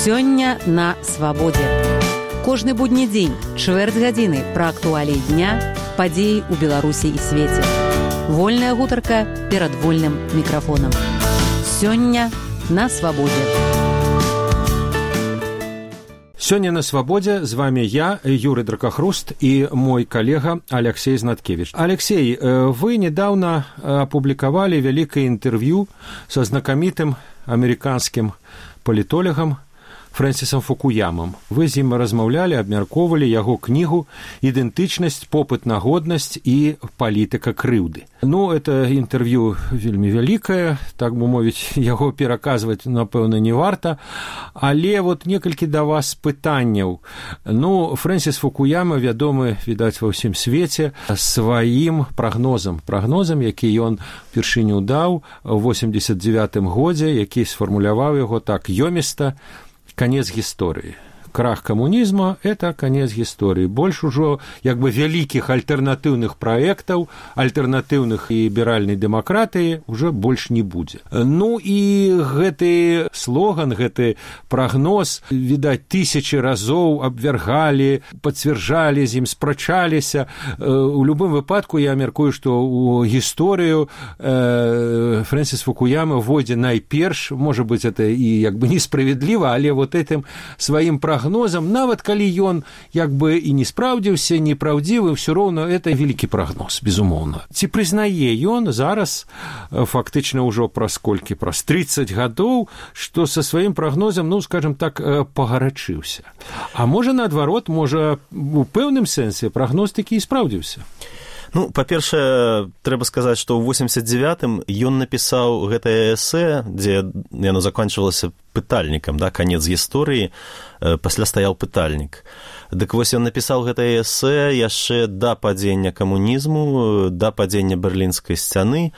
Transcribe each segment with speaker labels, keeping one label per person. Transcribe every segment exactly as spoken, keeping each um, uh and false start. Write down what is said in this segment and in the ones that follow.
Speaker 1: Сёння на свабодзе. Кожны будні дзень, чвэрць гадзіны пра актуаліі дня, падзеі ў Беларусі і свеце. Вольная гутарка перад вольным мікрафонам. Сёння на свабодзе.
Speaker 2: Сёння на свабодзе з вами я, Юрий Дракахруст, и мой коллега Алексей Знаткевич. Алексей, вы недавно опубликовали великое интервью со знакомитым американским политологом Фрэнсісам Фукуямам. Вы з ім размаўлялі, абмяркоўвалі яго кнігу «Ідэнтычнасць, попыт на годнасць і палітыка крыўды». Ну, это інтэрв'ю вельмі вялікае, так бы мовіць, яго пераказваць, напэўна, не варта, але вот некалькі да вас пытанняў. Ну, Фрэнсіс Фукуяма вядомы, відаць, ва ўсім свеце сваім прагнозам, прагнозам, які ён упершыню даў у восемьдесят девятым годзе, які сфармуляваў яго так ёміста: конец гісторыі. Крах камунізма – это конец гісторыі. Больш ужо, як бы, вялікіх альтэрнатыўных праектаў, альтэрнатыўных і ліберальнай дэмакратыі уже больш не будзе. Ну і гэты слоган, гэты прагноз, відаць, тысячы разоў абвяргалі, пацвярджалі, з ім спрачаліся. У любым выпадку я мяркую, што ў гісторыю Фрэнсіс Фукуяма войдзе найперш, можа быць, это і як бы несправедліва, але вот этим сваім прагнозам, нават калі ён як бы і не спраўдзіўся, непраўдзівы, ўсё роўна это вялікі прагноз, безумоўна. Ці прызнае ён зараз, фактычна ўжо праз колькі, праз тридцать гадоў, што са сваім прагнозам, ну, скажем так, пагарачыўся. А можа, наадварот, можа, у пэўным сэнсе прагноз такі і спраўдзіўся?
Speaker 3: Ну, па-першае, трэба сказаць, што ў восемьдесят девятым ён напісаў гэтае эсэ, дзе яно заканчвалася пытальнікам, да, канец гісторыі, пасля стаяў пытальнік. Дык вось ён напісаў гэтае эсэ яшчэ да падзення камунізму, да падзення Берлінскай сцяны,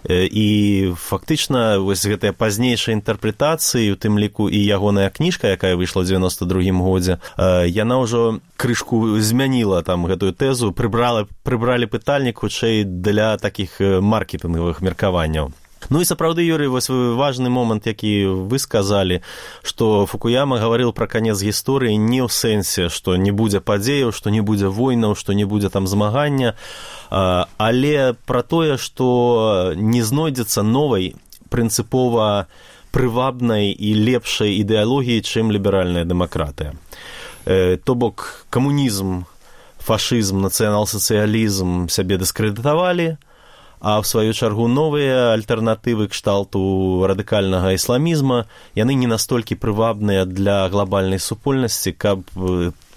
Speaker 3: і фактычна вось гэтыя пазнейшыя інтэрпрэтацыі, у тым ліку і ягоная кніжка, якая выйшла ў девяносто другім годзе, яна ўжо крышку змяніла там гэтую тэзу, прыбрала, прыбралі пытальнік хутчэй для такіх маркетынгавых меркаванняў. Ну і сапраўды, Юрий, вось важны момант, які вы сказалі, што Фукуяма гаварыў пра канец гісторыі не ў сэнсе, што не будзе падзеяў, што не будзе войнаў, што не будзе там змагання, але пра тое, што не знойдзецца новай прынцыпова прывабнай і лепшай ідэалогіі, чым ліберальная дэмакратыя. То бок камунізм, фашызм, нацыянал-сацыялізм сябе дыскрэдытавалі, а в сваю чаргу новыя альтэрнатывы кшталту радыкальнага ісламізма, яны не настолькі прывабныя для глобальнай супольнасці, каб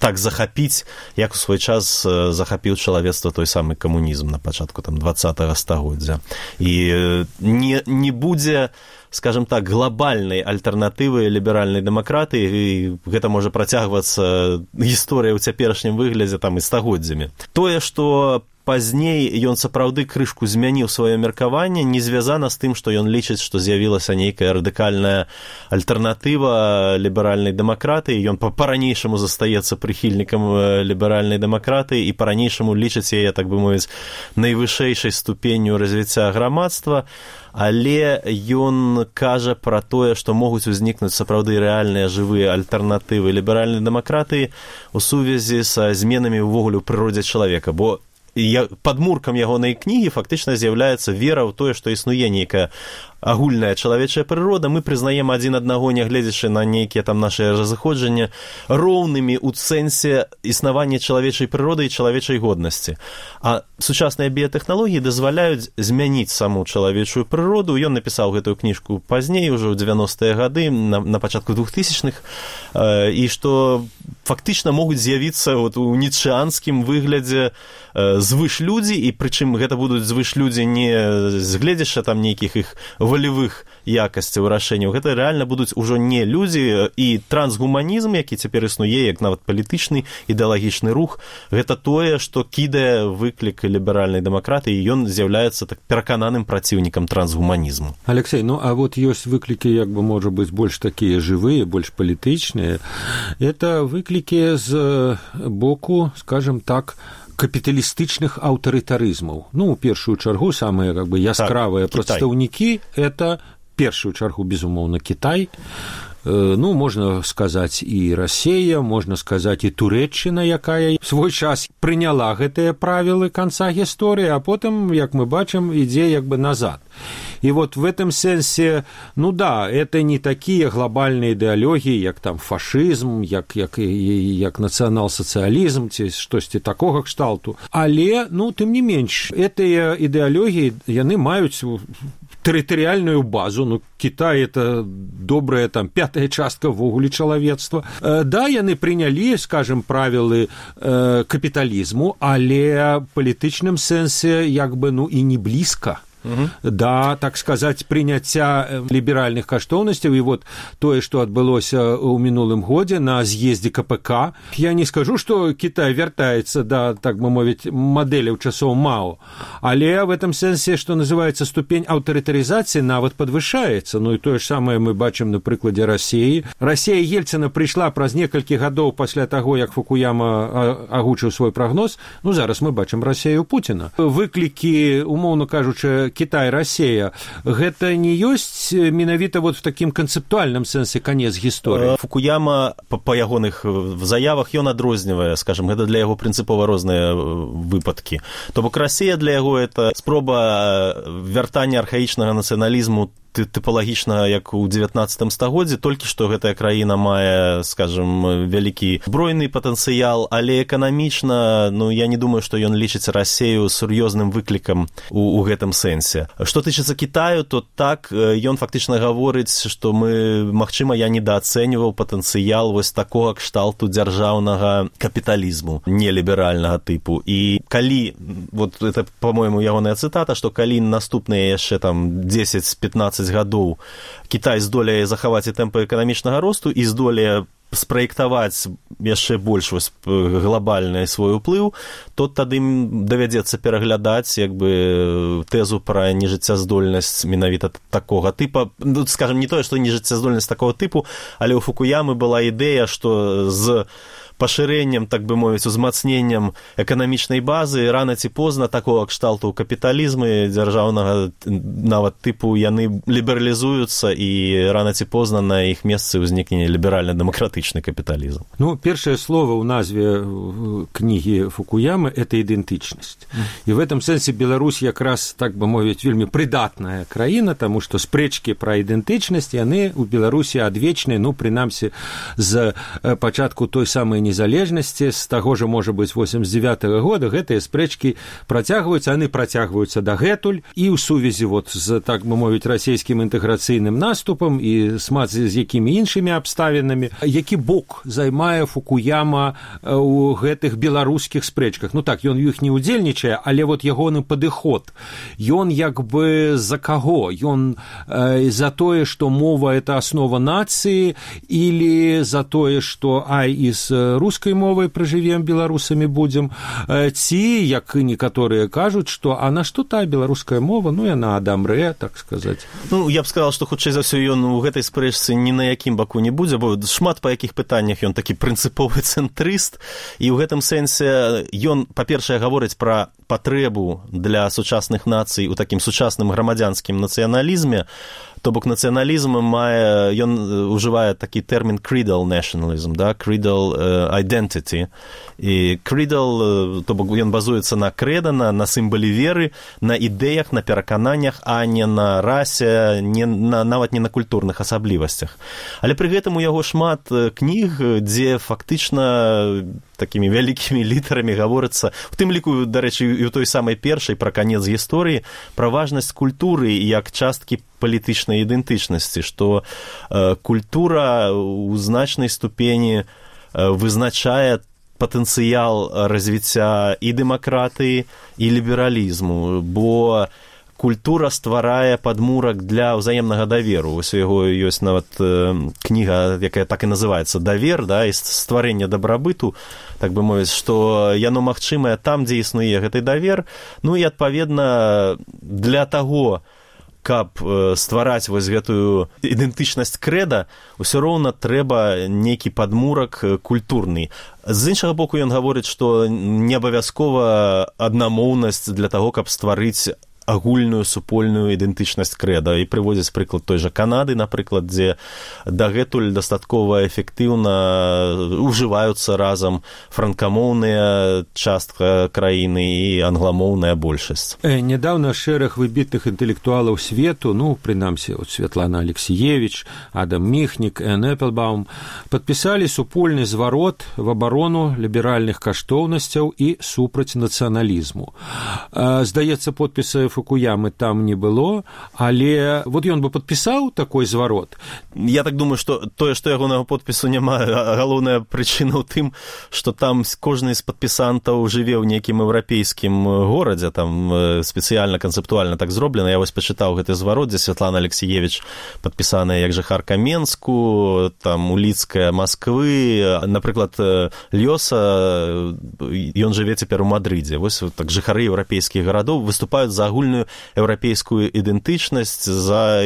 Speaker 3: так захапіць, як у свой час захапіў чалавецтва той самы камунізм на пачатку там двадцатага стагоддзя. І не, не будзе, скажем так, глобальнай альтэрнатывы ліберальнай дэмакратыі, і гэта можа працягвацца гісторыя ў цяперашнім выглядзе там і стагоддзямі. Тое, што пазней ён сапраўды крышку змяніў сваё меркаванне, не звязана з тым, што ён лічыць, што з'явілася нейкая радыкальная альтэрнатыва ліберальнай дэмакратыі. Ён па-ранейшаму застаецца прыхільнікам ліберальнай дэмакратыі і па-ранейшаму лічыць яе, так бы мовіць, найвышэйшай ступенню развіцця грамадства, але ён кажа пра тое, што могуць узнікнуць сапраўды рэальныя жывыя альтэрнатывы ліберальнай дэмакратыі ў сувязі са зменамі ўвогуле ў прыродзе чалавека, бо падмуркам ягонай кнігі фактычна з'яўляецца вера ў тое, што існуе нейкая агульная чалавечая прырода, мы прызнаем адзін аднаго, нягледзячы на нейкія там нашыя разыходжанні, роўнымі ў сэнсе існавання чалавечай прыроды і чалавечай годнасці. А сучасныя біятэхналогіі дазваляюць змяніць саму чалавечую прыроду. Ён напісаў гэтую кніжку пазней, ужо ў девяностыя гады, на, на пачатку двухтысячных, э, і што фактычна могуць з'явіцца вот, у ніцшеанскім выглядзе э, звышлюдзі, і прычым гэта будуць звышлюдзі не згледзячы там нейкіх іх волевых якасцяў рашэнняў. Гэта рэальна будуць ужо не людзі, і трансгуманізм, які цяпер існуе, як нават палітычны ідэалагічны рух, гэта тое, што кідае выклік ліберальнай дэмакратыі, і ён з'яўляецца так перакананым праціўнікам трансгуманізму.
Speaker 2: Алексей, ну а вот ёсць выклікі, як бы, можа быць, больш такія жывыя, больш палітычныя. Это выклікі з боку, скажем так, капіталістычных аўтарытарызмаў. Ну, у першую чаргу, самыя как бы яскравыя так, прадстаўнікі – это, першую чаргу, безумоўна, Кітай. Ну, можна сказаць, і Расія, можна сказаць, і Турэччына, якая свой час прыняла гэтыя правілы канца гісторыі, а потым, як мы бачым, ідзе як бы назад. И вот в этом сенсе, ну да, это не такие глобальные идеологии, як там фашизм, як, як, як национал-социализм, ці штосьці такога кшталту. Але, ну, тым не менш, гэтыя ідэалогіі, яны маюць тэрытарыяльную базу, ну, Китай – это добрая там пятая частка ввогуле чалавецтва. Да, яны прынялі, скажем, правілы э, капіталізму, але палітычным сэнсе як бы, ну, і не блізка. Угу. Да, так сказать, прыняцця ліберальных каштоўнасцяў, і вот тое, што адбылося ў мінулым годзе на з'ездзе ка пэ ка. Я не скажу, што Кітай вяртаецца да, так бы мовіць, мадэляў часоў Мао, але в этом сэнсе, што называецца, ступень аўтарытарызацыі нават падвышаецца. Ну і тое ж самае мы бачым на прыкладзе Расіі. Расія Ельцына прыйшла праз некалькі гадоў пасля таго, як Фукуяма агучыў свой прагноз. Ну зараз мы бачым Расію Пуціна. Выклікі, умоўна кажучы, Китай, Россия, гэта не ёсць менавіта вот в такім канцэптуальным сэнсе канец гісторыі.
Speaker 3: Фукуяма па, па ягоных заявах ён адрознівае, скажем, гэта для яго прынцыпова розныя выпадкі. То бок Расія для яго это спроба вяртання архаічнага нацыяналізму тыпалагічна, як у дзевятнаццатым стагоддзі, толькі што гэтая краіна мае, скажем, вялікі збройны патэнцыял, але эканамічна, ну, я не думаю, што ён лічыць Расію сур'ёзным выклікам у, у гэтым сэнсе. Што тычыцца Кітаю, то так, ён фактычна гаворыць, што мы, магчыма, я недаацэньваў патэнцыял вось такога кшталту дзяржаўнага капіталізму, неліберальнага тыпу. І калі, вот это, по-моему, ягоная цытата, што калі наступныя яшчэ там дзесяць-пятнаццаць гадоў Кітай здолее захаваць і тэмпы эканамічнага росту і здолее спраектаваць яшчэ больш вось глобальны свой уплыў, то тады ім давядзецца пераглядаць як бы тэзу пра нежыццяздольнасць менавіта такога тыпа. Ну, скажем, не тое, што нежыццяздольнасць такого тыпу, але ў Фукуямы была ідэя, што з пашырэннем, так бы мовіць, узмацненнем эканамічнай базы рана ці позна такого кшталту капіталізмы дзяржаўнага нават тыпу яны лібералізуюцца і рана ці позна на іх месцы ўзнікне ліберальна-дэмакратычны капіталізм.
Speaker 2: Ну, першае слово ў назве кнігі Фукуямы – это ідэнтычнасць. І в этом сэнсе Беларусь якраз, так бы мовіць, вельмі прыдатная краіна, таму што спрэчкі пра ідэнтычнасць яны ў Беларусі адвечныя, ну, прынамсі, з пачатку той самай незалежнасці, з таго ж, можа быць, восемьдесят девятого года гэтыя спрэчкі працягваюцца, яны працягваюцца дагэтуль і ў сувязі вот з, так бы мовіць, расійскім інтэграцыйным наступам і смат з якімі іншымі абставінамі. Які бок займае Фукуяма ў гэтых беларускіх спрэчках? Ну так, ён у іх не удзельнічае, але вот ягоны падыход. Ён як бы за каго? Ён э, за тое, што мова – это аснова нацыі, или за тое, што ай і з рускай мовай пражывем, беларусамі будзем, ці, як і некаторыя кажуць, што а на што тая беларуская мова, ну яна адамрэ, так сказаць.
Speaker 3: Ну, я б сказал, што хутчэй за ўсё ён у гэтай спрэчцы ні на якім баку не будзе, бо шмат па якіх пытаннях ён такі прынцыповы цэнтрыст, і ў гэтым сэнсе ён, па-першае, гаворыць пра патрэбу для сучасных нацый у такім сучасным грамадзянскім нацыяналізме. То бок нацыяналізм мае, ён ужывае такі тэрмін creedal nationalism, да, creedal uh, identity. І creedal, то бок ён базуецца на крэда, на, на сімвале веры, на ідэях, на перакананнях, а не на расе, не на, нават не на культурных асаблівасцях. Але пры гэтым у яго шмат кніг, дзе фактычна такімі вялікімі літарамі гаворыцца, у тым ліку, дарэчы, і ў той самай першай пра канец гісторыі, пра важнасць культуры як часткі палітычнай ідэнтычнасці, што э, культура ў значнай ступені э, вызначае патэнцыял развіцця і дэмакратыі, і лібералізму, бо культура стварае падмурак для ўзаемнага даверу. Вось у яго ёсць нават э, кніга, якая так і называецца «Давер», да, і стварэнне дабрабыту, так бы мовіць, што яно магчымае там, дзе існуе гэты давер. Ну і, адпаведна, для таго, каб ствараць вось гэтую ідэнтычнасць крэда, усё роўна трэба нейкі падмурак культурны. З іншага боку, ён гаворыць, што не абавязкова аднамоўнасць для таго, каб стварыць агульную супольную ідэнтычнасць крэда. І прыводзяць прыклад той жа Канады, напрыклад, дзе дагэтуль дастаткова эфектыўна ужываюцца разам франкамоўная частка краіны і англамоўная большасць.
Speaker 2: Нядаўна шэраг выбітных інтэлектуалаў свету, ну, прынамсі, от Святлана Алексеевич, Адам Міхнік, Энн Эпплбаум, падпісалі супольны зварот в абарону ліберальных каштоўнасцяў і супраць нацыяналізму. Здаецца, подпіса Фукуямы там не было, але вот ён бы падпісаў такой зварот.
Speaker 3: Я так думаю, што тое, што ягонага подпісу няма, галоўная прычына ў тым, што там кожны з падпісантаў жыве ў нейкім еўрапейскім горадзе, там спецыяльна, канцэптуальна так зроблена. Я вось пачытаў гэты зварот, дзе Святлана Алексеевич падпісаная як жыхарка Менску, там уліцкая Масквы, напрыклад, Лёса, ён жыве цяпер у Мадрыдзе. Вось так жыхары еўрапейскіх гарадоў выступаюць за агульную еўрапейскую ідэнтычнасць, за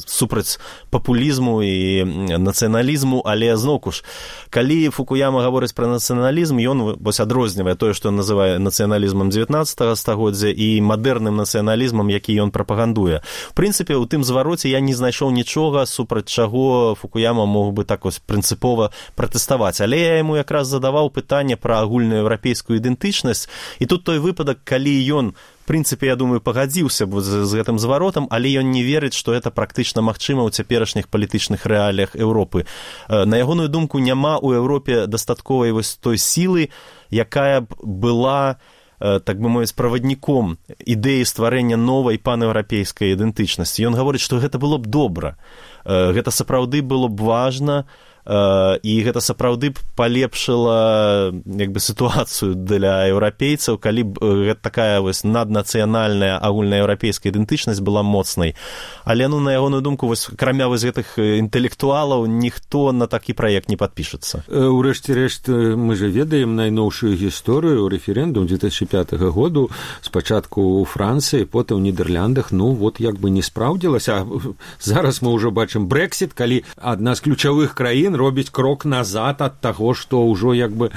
Speaker 3: супраць папулізму і нацыяналізму, але зноўку ж, калі Фукуяма гаворыць пра нацыяналізм, ён вось адрознівае тое, што ён называе нацыяналізмам дзевятнаццатага стагоддзя і мадэрным нацыяналізмам, які ён прапагандуе. В прынцыпе, у тым звароце я не знайшоў нічога, супраць чаго Фукуяма мог бы так вось прынцыпова пратэставаць. Але я яму якраз задаваў пытанне пра агульную еўрапейскую ідэнтычнасць, і тут той выпадак, калі ён, в прынцыпе, я думаю, пагадзіўся б з, з гэтым зваротам, але ён не верыць, што гэта практычна магчыма ў цяперашніх палітычных рэаліях Еўропы. На ягоную думку, няма ў Еўропе дастатковай вось той сілы, якая б была, так бы мовіць, правадніком ідэі стварэння новай панеўрапейскай ідэнтычнасці. Ён гаворыць, што гэта было б добра. Гэта сапраўды было б важна, і гэта сапраўды б палепшыла як бы сітуацыю для еўрапейцаў, калі б гэта такая вось наднацыянальная агульнаеўрапейская ідэнтычнасць была моцнай. Але, ну, на ягоную думку, вось акрамя вось гэтых інтэлектуалаў ніхто на такі праект не падпішацца.
Speaker 2: У рэшце рэшт мы же ведаем найноўшую гісторыю, рэферэндум две тысячи пятого году, спачатку у Францыі, потым у Нідерландах, ну вот як бы не спраўдзілася. Зараз мы ўжо бачым Брэксіт, калі адна з ключавых краін робіць крок назад ад таго, што ўжо як бы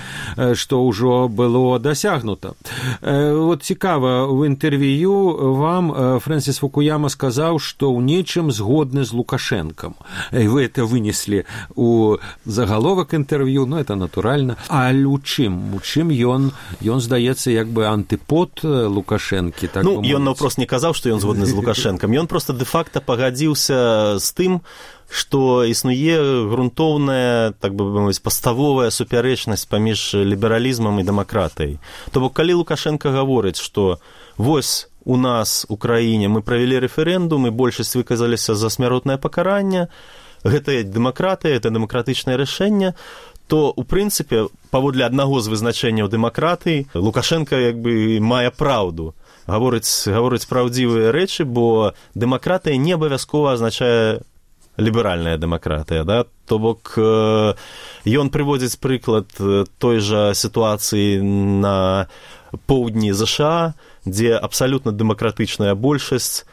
Speaker 2: што ўжо было дасягнута. Вот цікава, в інтэрв'ю вам Фрэнсіс Фукуяма сказаў, што ў нечым згодны з Лукашэнкам. Вы это вынеслі у загаловак інтэрв'ю, ну это натуральна. А у чым? У чым ён, ён здаецца як бы антыпод Лукашэнкі? Так
Speaker 3: ну, ён наўпрост не казаў, што ён згодны з Лукашэнкам. Ён проста дэ-факта пагадзіўся з тым, што існуе грунтоўная, так бы мовіць, паставовая супярэчнасць паміж лібералізмам і дэмакратыяй. То бок, калі Лукашенко гаворыць, што вось у нас у краіне мы правялі рэферэндум і большасць выказаліся за смяротнае пакаранне, гэта дэмакратыя, гэта дэмакратычнае рашэнне, то, у прынцыпе, паводле аднаго з вызначэнняў дэмакратыі, Лукашенко як бы мае праўду. Гаворыць, гаворыць праўдзівыя рэчы, бо дэмакратыя не абавязкова азначае ліберальная дэмакратыя, да? То бок, ён прыводзіць прыклад той жа сітуацыі на поўдні ЗША, дзе абсалютна дэмакратычная большасць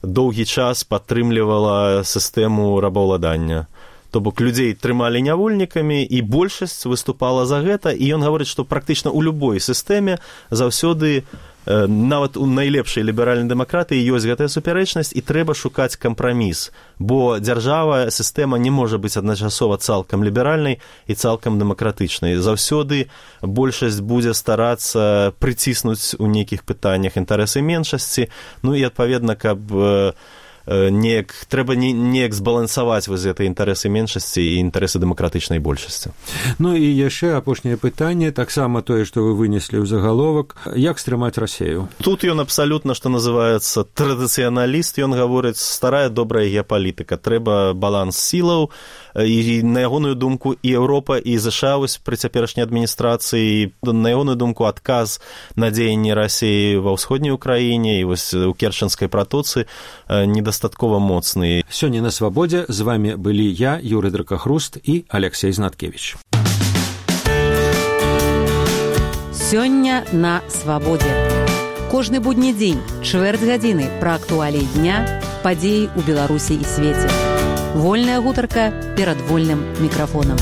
Speaker 3: доўгі час падтрымлівала сістэму рабаўладання. То бок, людзей трымалі нявольнікамі, і большасць выступала за гэта, і ён гаворыць, што практычна ў любой сістэме заўсёды нават у найлепшай ліберальнай дэмакратыі ёсць гэтая супярэчнасць, і трэба шукаць кампраміс, бо дзяржава, сістэма не можа быць адначасова цалкам ліберальнай і цалкам дэмакратычнай. Заўсёды большасць будзе старацца прыціснуць у нейкіх пытаннях інтарэсы меншасці, ну і, адпаведна, каб неяк, трэба неяк збалансаваць вось гэты інтарэсы меншасці і інтарэсы дэмакратычнай большасці.
Speaker 2: Ну і яшчэ апошняе пытанне, таксама тое, што вы вынеслі ў загаловак, як стрымаць Расею?
Speaker 3: Тут ён абсалютна, што называецца, традыцыяналіст, ён гаворыць, старая добрая геапалітыка, трэба баланс сілаў, і на ягоную думку і Еўропа, і ЗША вось пры цяперашняй адміністрацыі, на ягоную думку адказ на дзеянні Расеі ва ўсходняй Украіне і вось у Керченскай пратоцы недастаткова моцны.
Speaker 2: Сёння на Свабодзе з вами былі я, Юрый Дракахруст, і Алексей Знаткевич.
Speaker 1: Сёння на Свабодзе. Кожны будні дзень, чвэрць гадзіны пра актуаліі дня, падзеі ў Беларусі і свеце. Вольная гутарка перад вольным мікрафонам.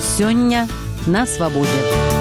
Speaker 1: Сёння на Свабодзе.